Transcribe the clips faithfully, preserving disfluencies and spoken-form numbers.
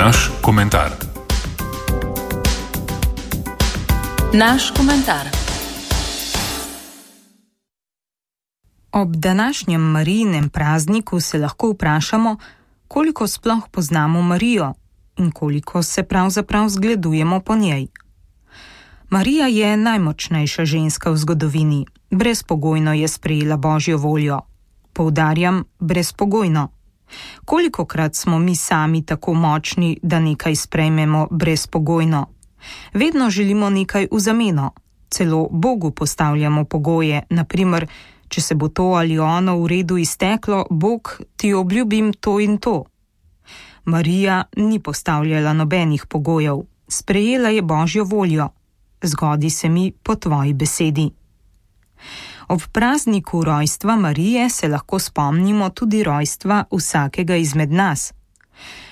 Naš komentar. Naš komentar. Ob današnjem Marijinem prazniku se lahko vprašamo, koliko sploh poznamo Marijo in koliko se pravzaprav zgledujemo po njej. Marija je najmočnejša ženska v zgodovini, brezpogojno je sprejela Božjo voljo. Poudarjam, brezpogojno. Kolikokrat smo mi sami tako močni, da nekaj sprejmemo brezpogojno? Vedno želimo nekaj v zameno, celo Bogu postavljamo pogoje, na primer, če se bo to ali ono v redu izteklo, Bog, ti obljubim to in to. Marija ni postavljala nobenih pogojev, sprejela je Božjo voljo. Zgodi se mi po tvoji besedi. Ob prazniku rojstva Marije se lahko spomnimo tudi rojstva vsakega izmed nas.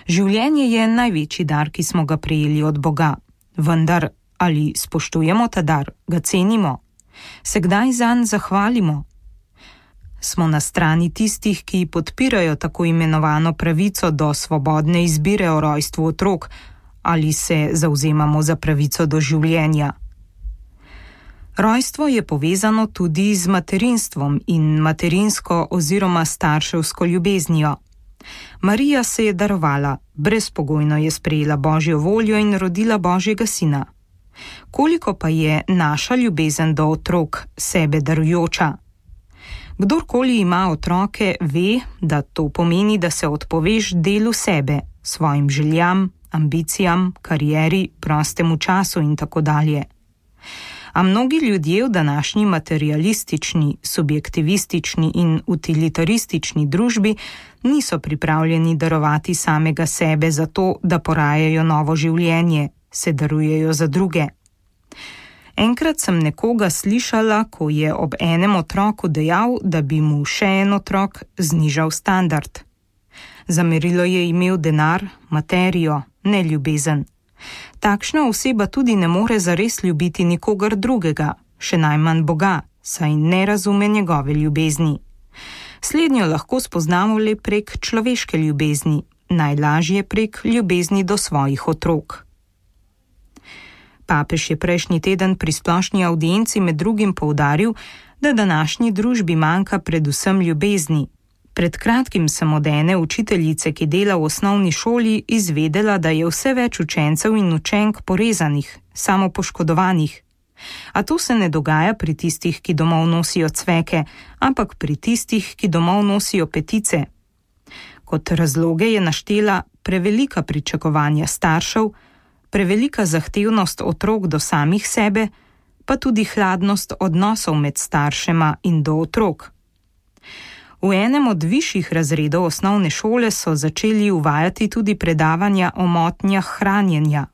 Življenje je največji dar, ki smo ga prejeli od Boga, vendar ali spoštujemo ta dar, ga cenimo, se kdaj zanj zahvalimo? Smo na strani tistih, ki podpirajo tako imenovano pravico do svobodne izbire o rojstvu otrok, ali se zavzemamo za pravico do življenja? Rojstvo je povezano tudi z materinstvom in materinsko oziroma starševsko ljubeznijo. Marija se je darovala, brezpogojno je sprejela Božjo voljo in rodila Božjega sina. Koliko pa je naša ljubezen do otrok sebe darujoča? Kdorkoli ima otroke, ve, da to pomeni, da se odpoveš delu sebe, svojim željam, ambicijam, karieri, prostemu času in tako dalje. A mnogi ljudje v današnji materialistični, subjektivistični in utilitaristični družbi niso pripravljeni darovati samega sebe za to, da porajajo novo življenje, se darujejo za druge. Enkrat sem nekoga slišala, ko je ob enem otroku dejal, da bi mu še en otrok znižal standard. Za merilo je imel denar, materijo, ne ljubezen. Takšna oseba tudi ne more zares ljubiti nikogar drugega, še najmanj Boga, saj ne razume njegove ljubezni. Slednjo lahko spoznamo le prek človeške ljubezni, najlažje prek ljubezni do svojih otrok. Papež je prejšnji teden pri splošni avdienci med drugim poudaril, da današnji družbi manjka predvsem ljubezni. Pred kratkim sem od ene učiteljice, ki dela v osnovni šoli, izvedela, da je vse več učencev in učenk porezanih, samopoškodovanih. A to se ne dogaja pri tistih, ki domov nosijo cveke, ampak pri tistih, ki domov nosijo petice. Kot razloge je naštela prevelika pričakovanja staršev, prevelika zahtevnost otrok do samih sebe, pa tudi hladnost odnosov med staršema in do otrok. V enem od višjih razredov osnovne šole so začeli uvajati tudi predavanja o motnjah hranjenja.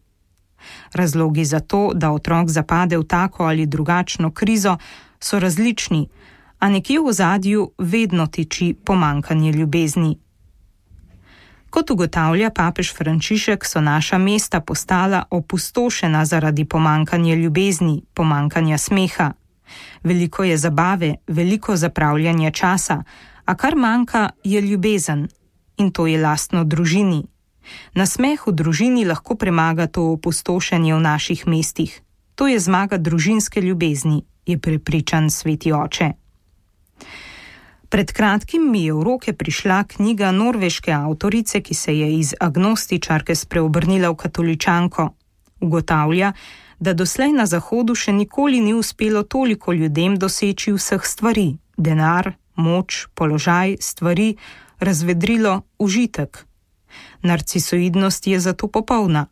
Razlogi za to, da otrok zapade v tako ali drugačno krizo, so različni, a nekje v ozadju vedno tiči pomanjkanje ljubezni. Kot ugotavlja papež Frančišek, so naša mesta postala opustošena zaradi pomanjkanja ljubezni, pomanjkanja smeha. Veliko je zabave, veliko zapravljanja časa, a kar manjka je ljubezen, in to je lastno družini. Nasmeh v družini lahko premaga to opustošenje v naših mestih. To je zmaga družinske ljubezni, je prepričan sveti oče. Pred kratkim mi je v roke prišla knjiga norveške avtorice, ki se je iz agnostičarke spreobrnila v katoličanko. Ugotavlja, da doslej na Zahodu še nikoli ni uspelo toliko ljudem doseči vseh stvari, denar, moč, položaj, stvari, razvedrilo, užitek. Narcisoidnost je zato popolna.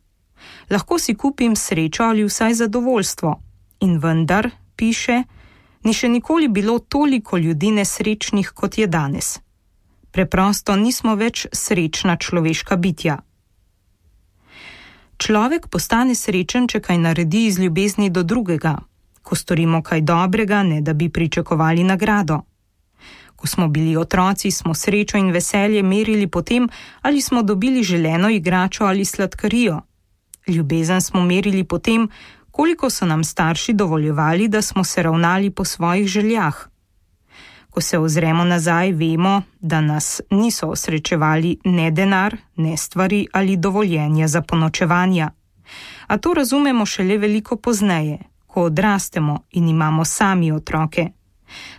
Lahko si kupim srečo ali vsaj zadovoljstvo. In vendar, piše, ni še nikoli bilo toliko ljudi nesrečnih, kot je danes. Preprosto nismo več srečna človeška bitja. Človek postane srečen, če kaj naredi iz ljubezni do drugega, ko storimo kaj dobrega, ne da bi pričakovali nagrado. Ko smo bili otroci, smo srečo in veselje merili po tem, ali smo dobili želeno igračo ali sladkarijo. Ljubezen smo merili po tem, koliko so nam starši dovoljevali, da smo se ravnali po svojih željah. Ko se ozremo nazaj, vemo, da nas niso osrečevali ne denar, ne stvari ali dovoljenje za ponočevanja. A to razumemo šele veliko pozneje, ko odrastemo in imamo sami otroke.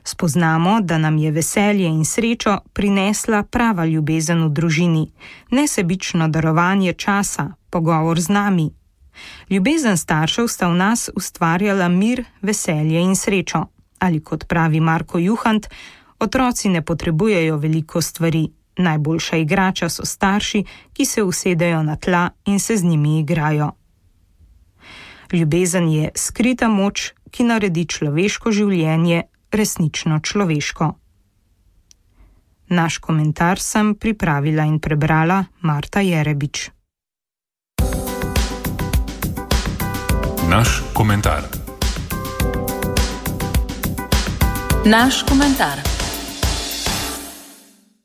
Spoznamo, da nam je veselje in srečo prinesla prava ljubezen v družini, nesebično darovanje časa, pogovor z nami. Ljubezen staršev sta v nas ustvarjala mir, veselje in srečo. Ali kot pravi Marko Juhant, otroci ne potrebujejo veliko stvari. Najboljša igrača so starši, ki se usedejo na tla in se z njimi igrajo. Ljubezen je skrita moč, ki naredi človeško življenje resnično človeško. Naš komentar sem pripravila in prebrala Marta Jerebič. Naš komentar. Naš komentar.